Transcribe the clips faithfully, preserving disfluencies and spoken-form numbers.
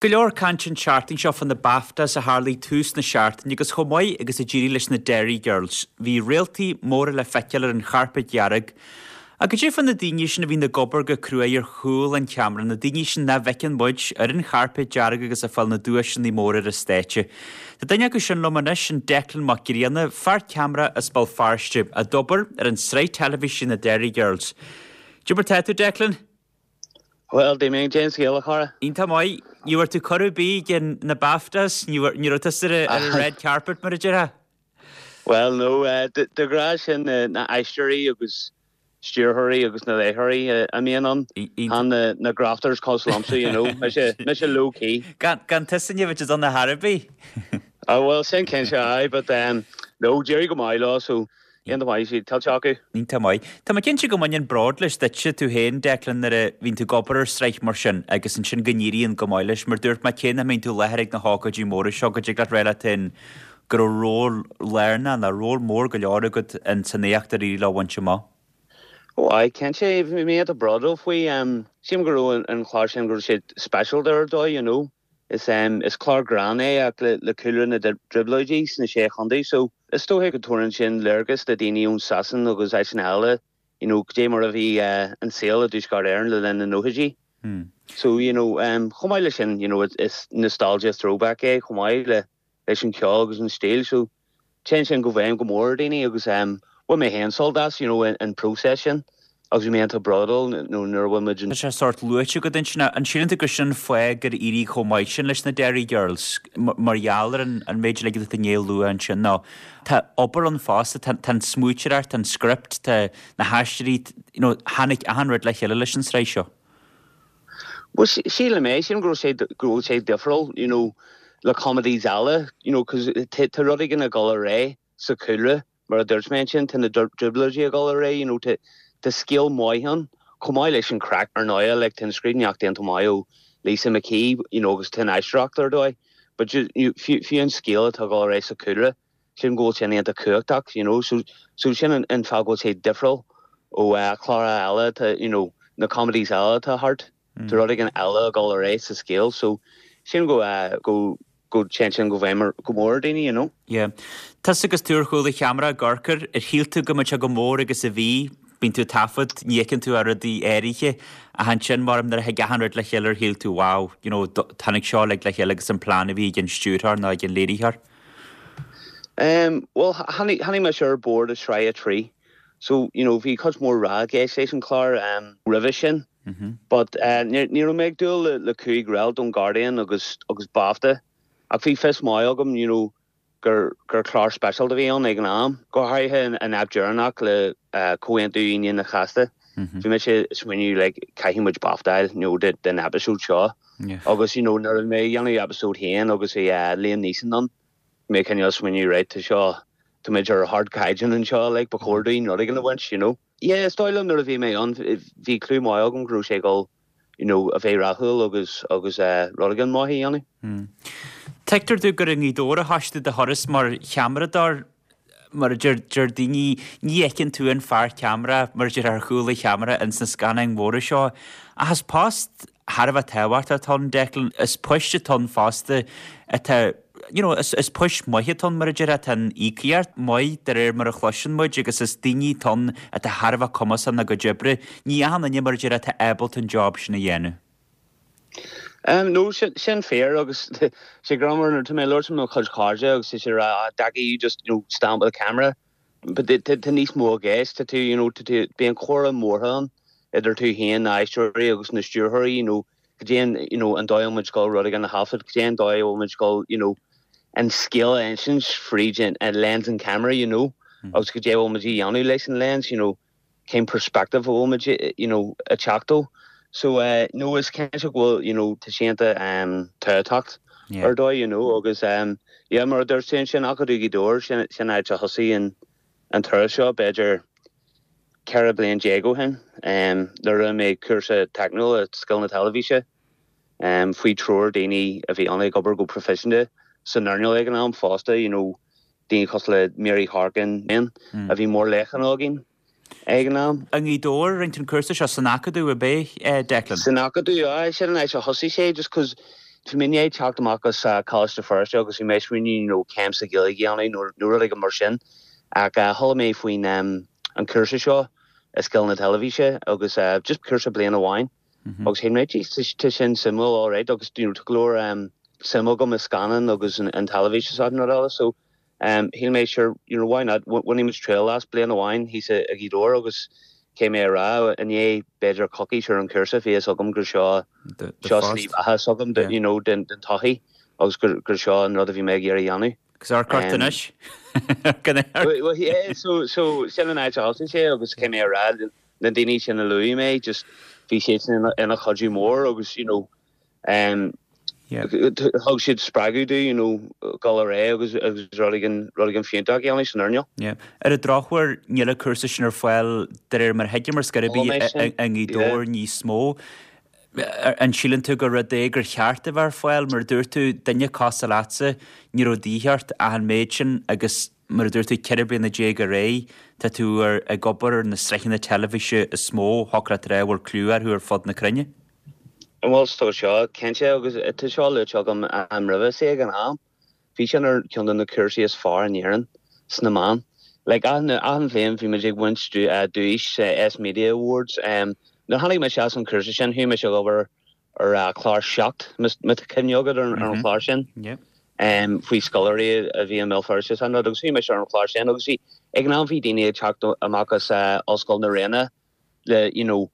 Go leor caint an tseachtain seo fá na BAFTAs a tharlaigh tús na seachtaine agus chomh maith agus a d'éirigh leis na Derry Girls. Bhí réaltaí móra le feiceáil ar an chairpéad dhearg. Agus cad é fá na daoine sin a bhíonn ag obair go cruaidh ar chúl an cheamara, na daoine sin nach bhfeiceann muid ar an chairpéad dearg agus ag fáil na duaiseanna móra ar an stáitse. Tá duine acu sin liom anois an Declan Mac Grianna, fear ceamara as Béal Feirste, a d'obair ar an sraith teilifíse na Derry Girls. Cad é mar tá tú Declan? Well, dé mé James Gael chara? Iontach maith, ní bhfuair tú cuireadh ar bith ag na BAFTAs, ní raibh tusa ar an red carpet mar a déarfá? Well no uh, de ghnáth sin na, na aisteoirí agus stiúrthóirí agus na léiritheoirí a mbíonn ann an na, na grafters cosúil liomsa you know mise mise low key. Gan gan tusa ní bheadh an na harbí? Oh well sin cinnte aye but um, no d'éirigh go maith leo so iontach maith siad tuillte acu. Iontach maith. Tá mé cinnte go mbaineann bród leis duitse tú féin Declan nuair a bhíonn tú ag obair ar sraith mar sin agus ansin go n-éiríonn go maith leis mar dúirt mé cé nach mbíonn tú i láthair ag na hócáidí móra seo go dtig leat rá leat féin go raibh ról lárnach nó ról mór go leor agat in san éacht ar éirigh leo a bhaint amach. Ó aye cinnte bhí mé iontach bródúil faoi um, sílim go raibh an chlár sin go raibh sé special ar dóigh you know. Is um, is clár greann é ach le, le cúlra na dtrioblóidí sna sé chontae so is dócha go dtabharann sin léargas do daoine ón Sasain agus áiteanna eile you know, dé mar a bhí uh, an saol i dTuaisceart Éireann le linn na nóchaidí. Hmm. So you know, um, chomh maith le sin you know, is nostalgia throwback é chomh maith le leis an ceol agus an stíl so téann sin i bhfeidhm go mór daoine agus um, bhain mé féin sult as you know, an, an process sin agus bhí mé iontach bródúil nó nuair a bhain muid Tá sé sort luaite go sin an síleann tú gur sin fáth gur éirigh chomh maith sin leis na Derry Girls mar gheall ar an an méid le go inné lua ansin ná Tá obair an fosta tá an smaointeoireacht an script tá na haisteoirí you know, tháinig achan rud le chéile leis an sraith seo. Well sílim é sin go sé go sé difriúil you know, le comedies eile you know, cos tá rud éigin ag dul ar aghaidh sa chúlra mar a dúirt mé sin tá na trioblóidí ag dul ar aghaidh you know, tá tá scéal maith ann chomh maith leis an craic ar ndóigh le tá scríbhneoireacht déanta maith ó Lisa McKee you know, agus tá aisteoireacht ar dóigh but you, fiú fiú an scéal atá ag dul ar aghaidh sa chúlra sin go bhfuil sin iontach cumhachtach you know, so, so sin an, an fáth go bhfuil sé difriúil ó uh, chlár eile tá you know, na comedies eile atá thart mm. Tá rud éigin eile ag dul ar aghaidh sa scéal so sin go uh, go go sin sin go bhfeidhm go mór daoine you know. Yeah. Tusa agus tú ar chúl an cheamara ag amharc air ar shíl tú go mbeadh sé chomh mór agus a bhí bíonn tú taifead ní fheiceann tú ar rudaí áirithe ach ansin mar nuair a thig achan rud le chéile ar shíl tú wow, you know, tháinig seo le le chéile agus an plan a bhí ag an stiúrthóir ná ag an léiritheoir. Um, well tháinig mé ar bord i sraith a trí. So you know, bhí cuid mór ráig leis an chlár um, roimhe sin. Mm -hmm. But uh, ní raibh mé ag dúil le, le cúig réalt ón Guardian agus agus BAFTA. Ach bhí fios maith agam you know, gur gur clár special a bhí ann ag an am. Go háirithe an, an ep deireanach le uh, Comhaontú Aoine an Chéasta. Mm -hmm. Bhí mé sé smaoineamh like, caithfidh muid BAFTA you know, de, den episode seo. Yeah. Agus you know, nuair mé dhéanamh episode haon agus bhí uh, Liam Neeson ann. Mé cineál smaoineamh right tá seo Tá muid ar ardchaighdeán anseo like, ba chóir dúinn rud éigin a bhaint, you know. Yeah, is dóigh liom nuair a bhí mé ann bhí clue maith agam go raibh sé dul you know, a bheith rathúil agus agus uh, rud éigin maith a dhéanamh. Hmm. Tuigtear domh gur i nGaoth Dobhair a thosaigh tú do thuras mar cheamaradóir mar deir deir daoine ní fheiceann tú an fear ceamara mar deir ar chúl an cheamara in sna scannáin mhóra seo. Ach is post thar a bheith tábhachtach atá ann Declan is poist atá ann fosta atá you know, is, is poist maith atá ann mar a deir atá an íocaíocht maith de réir mar a chloiseann muid agus is daoine atá ann atá thar a bheith cumasach ina gcuid oibre. Ní achan duine mar a deir atá ábalta an job sin a dhéanamh. Um, no sin, sin fíor agus sé greannmhar nuair tá mé labhairt mo chuid cairde agus sé rá Daggy you just you know, stand with the camera but tá níos mó i gceist tá tú you know, tá tú bíonn comhrá mór ann idir tú féin na aisteoirí agus na stiúrthóirí you know, go dtéann you know, an dóigh muid go rud éigin a thaifead go dtéann dóigh muid go you know, an scéal a insint fríd an, an lens an camera you know, mm. agus go dté muid dhéanamh leis an lens you know, cén perspective a bhfuil muid you know, a teachtó. So uh, no is cinnte go bhfuil you know, tá sé iontach um, tábhachtach Yeah. ar dóigh you know, agus um, yeah, mar a dúirt sin sin Acadamh Ghaoth Dobhair sin sin áit a thosaigh an an turas seo b'fhéidir ceithre bliain déag ó shin um, nuair a mé cúrsa teicniúil scoil na teilifíse um, faoi treoir daoine a bhí ann ag obair go proifisiúnta san earnáil ag an am fosta you know, daoine cosúil le Mary Harkin mm. a bhí mór lechan againn ag an am. I nGaoth Dobhair rinne an cúrsa seo san Acadamh ab é eh, Declan. San Acadamh sin an áit a thosaigh sé just cos Bhí mé i ndiaidh teacht amach as Coláiste Feirste agus bhí mé ag smaoineamh you know céim sa Ghaeilge a dhéanamh nó nó rud éigin mar sin ach chuala mé faoin an cúrsa seo i scileanna teilifíse agus just cúrsa bliain amháin agus shíl mé jeez tá sin suimiúil alright agus you know tá go leor suim agam i scannáin agus an teilifís is achan rud eile so shíl mé sure you know why not bhainfidh muid triail as bliain amháin thíos i Gaoth Dobhair agus Caithfidh mé a rá, i ndiaidh b'fhéidir coicís ar an chúrsa, bhí fhios agam gur seo seo slí bheatha s'agam you know den den todhchaí agus gur gur seo an rud a bhí mé ag iarraidh a dhéanamh. Agus amharc ort anois. Well yeah, so so sin an áit a thosaigh sé agus caithfidh mé a rá, na daoine sin a luaigh mé, just bhí siadsan ina ina chuidiú mór agus you know Thug siad spreagadh domh, you know, dul ar aghaidh agus agus rud éigin, rud éigin fiúntach a dhéanamh san earnáil. Yeah. Ar an drochuair, níl an cúrsa sin ar fáil de réir mar a thuigim ar scor ar bith i nGaoth Dobhair níos mó. An síleann tú gur rud é gur cheart a bheith ar fáil? Mar a dúirt tú, duine cosúil leatsa, ní raibh de dhíth ort ach an méid sin agus mar a dúirt tú, ceithre bliana déag ar aghaidh, tá tú ag obair ar na sraitheanna teilifíse is mó, thiocfadh leat a rá, a bhfuil clú orthu ar fud na cruinne. Bhuel, is dócha seo, cinnte, agus tá seo luaite agam roimhe, sea, ag an am, bhí sin ar cheann de na cúrsaí is fearr in Éirinn sna meáin. Like, achan, achan bhliain bhí muid ag baint duais sa S Media Awards. Nuair a tháinig mise as an chúrsa sin, chuaigh mise ag obair ar chlár Seacht, má tá cuimhne agat ar an chlár sin, faoi scoláirí a bhí i mBéal Feirste is an rud, agus chuaigh mise ar an chlár sin agus bhí, ag an am bhí daoine ag teacht amach as Ollscoil na Ríona le, you know,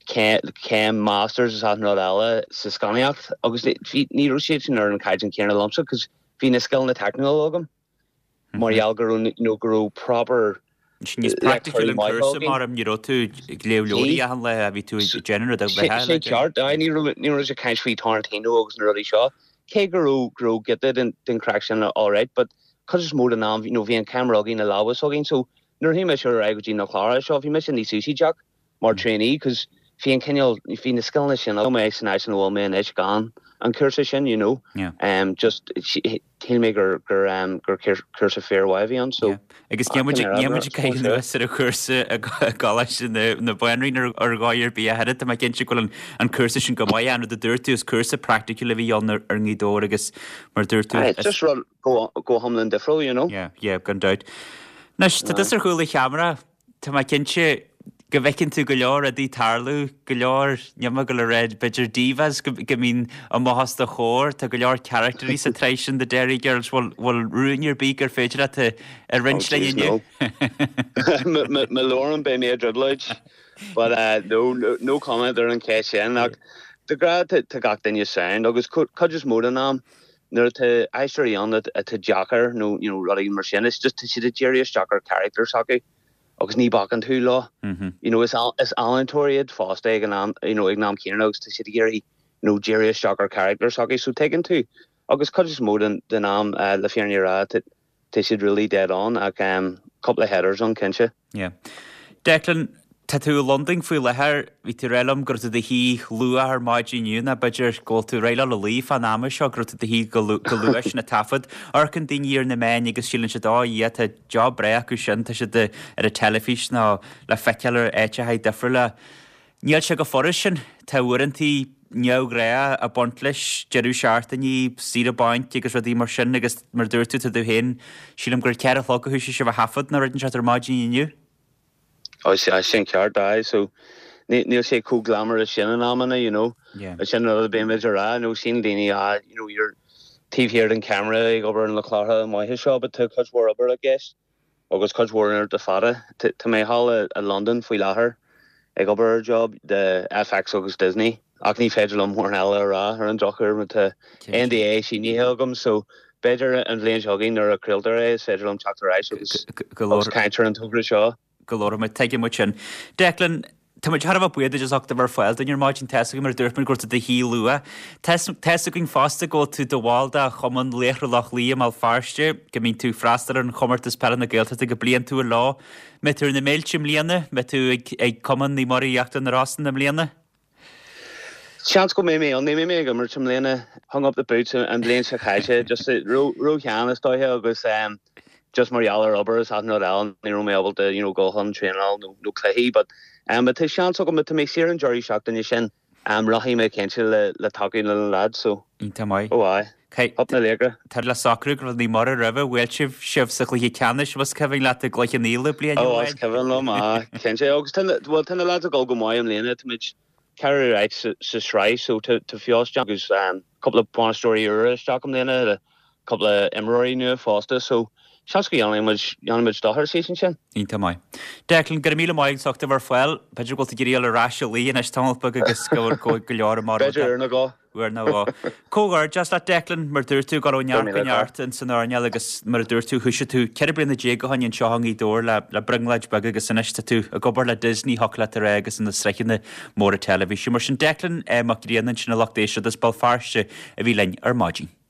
céim masters is achan rud eile sa scannánaíocht agus bhí ní raibh siad sin ar an chaighdeán céanna liomsa cos bhí na scileanna teicniúla agam mar gheall go raibh you know go raibh proper Sin níos praiticiúil an cúrsa mar ní raibh tú ag léamh leabhraí achan lá bhí tú ag déanamh rud ar bith eile. Sin ceart aye ní raibh ní raibh sé ag caint faoi Tarantino agus na rudaí seo cé go raibh go raibh giota den den chraic sin alright but cuid is mó den am you know bhí an ceamara againn na lámha s'againn so nuair a chuaigh mise ar aghaidh go dtí na cláracha seo bhí mise níos úsáideach mar trainee cos bhí an cineál, bhí na scileanna sin agam mé san áit ina bhfuil mé anois gan an cúrsa sin you know um just shíl mé gur gur um gur cúrsa fíormhaith a bhí ann so Yeah. Agus níl muid níl muid ag caitheamh anuas ar an chúrsa i gColáiste na na Banríona ar dhóigh ar bith ach oiread tá mé cinnte go bhfuil an an cúrsa sin go maith an rud a dúirt tú is cúrsa praiticiúil a bhí ann ar ar nGaoth Dobhair agus mar a dúirt tú It's just rud go go hiomlán difriúil you know. Yeah yeah gan dabht. Anois tá tusa ar chúl an cheamara Tá mé cinnte go bhfeiceann tú go leor rudaí tarlú, go leor, níl mé ag dul a rá, b'fhéidir divas go mbíonn amach os do chomhair, tá go leor caractairí sa tsraith sin The Derry Girls, bhfuil bhfuil rún ar bith gur féidir leat a a roinnt linn inniu? Má labhraím beidh mé i dtrioblóid, but no, no comment ar an cheist sin ach de ghnáth tá gach duine sound agus cuid is mó den am nuair atá aisteoirí ann atá deacair nó you know rudaí mar sin, it's just tá siad ag díriú isteach ar character s'acu. agus ní bacann tú leo. You know, is is ealaíontóirí iad fosta ag an am, you know, ag an am céanna agus tá siad ag iarraidh, you know, díriú isteach ar character s'acu, so tuigeann tú. Agus cuid is mó den den am, le fírinne a rá, tá tá siad really dead on ach um cúpla headers ann cinnte. Yeah. Declan, tá tú i Londain faoi láthair, bhí tú ag rá liom go raibh tú i do shuí luath ar maidin inniu nó b'fhéidir go bhfuil tú réidh le dul a luí fán am seo, go raibh tú i do shuí go luath sin ag taifead. Amharcann daoine ar na meáin agus síleann siad, 'Ó yeah, tá job breá acu sin, tá siad ar an teilifís nó le feiceáil ar áiteacha difriúla. Níl sé chomh furast sin. Tá uaireantaí neamhghnách ag baint leis, deireadh seachtainí, saoire bainc agus rudaí mar sin agus mar a dúirt tú, tá tú féin, sílim gur ceithre a chlog a thoisigh sibh a thaifead nó rud inteacht ar maidin inniu. Ó sea, sin ceart, aye, so níl sé chomh glamorous sin in amanna, you know. Yeah. Sin an rud a bíonn muid a rá, you know, síleann daoine, ah, you know, you're taobh thiar den camera ag obair ar na cláracha maithe seo, but tá cuid mhór obair i gceist agus cuid mhór uaireanta fada. Tá mé thall i Londain faoi láthair ag obair ar job do FX agus Disney ach ní féidir liom mórán eile a rá ar an drochuair mar tá NDA sínithe agam so b'fhéidir an bhliain seo chugainn nuair a chraoltar é is féidir liom teacht ar ais agus agus caint ar an togra seo. Go leor, tuigeann muid sin. Declan, tá muid thar a bheith buíoch duit as ucht a bheith ar fáil dúinn ar maidin. Tá's againn mar a dúirt muid go raibh tú i do shuí luath. Tá's againn fosta go bhfuil tú i do bhall de Chumann Laochra Loch Lao i mBéal Feirste, go mbíonn tú ag freastal ar an chomórtas peile na Gaeltachta go bliantúil leo. Mbeidh tú ar na mílte i mbliana? Mbeidh tú ag ag Cumann Naomh Muire Íochtar na Rosann i mbliana? Seans go mbeidh mé ann. Ní bheidh mé ag imirt i mbliana. Hung up the boots an bhliain seo caite. Just ró-shean is dóiche agus just mar gheall ar obair is achan rud eile ní raibh mé ábalta you know dul chun traenáil nó nó cluichí but um tá seans agam tá mé saor an deireadh seachtaine sin Um, rachaidh mé cinnte le le tacú le na lads so. Iontach maith. Ó aye. Up na Laochra. Tá le socrú go raibh Naomh Muire roimhe bhuail sibh sibh sa chluiche ceannais más cuimhin leat i gCloich Cheann Fhaola bliain Ó is cuimhin liom ah, cinnte agus tá well tá na lads ag dul go maith i mbliana táimid ceathrú áit sa sa sraith so tá tá feabhas agus um, cúpla bainisteoirí úra isteach i mbliana le cúpla imreoirí nua fosta so seans go dhéanfaidh muid dhéanfaidh muid dochar season sin. Iontach maith. Declan go raibh míle maith agat as bheith fáil, b'fhéidir go bhfuil tú ag iarraidh ar ais a luí anois tamall beag agus go go go leor mar B'fhéidir uair nó dhó. Uair nó dhó. Comhghairdeas leat Declan mar dúirt tú go raibh neart go neart in san earnáil agus mar a dúirt tú thosaigh tú ceithre bliana déag ó shin anseo i nGaoth Dobhair le le brionglóid beag agus anois tá tú ag obair le Disney thiocfadh leat a rá agus na sraitheanna móra teilifíse. Mar sin Declan eh, Mac Grianna sin a lucht éisteachta as Béal Feirste a bhí linn ar maidin.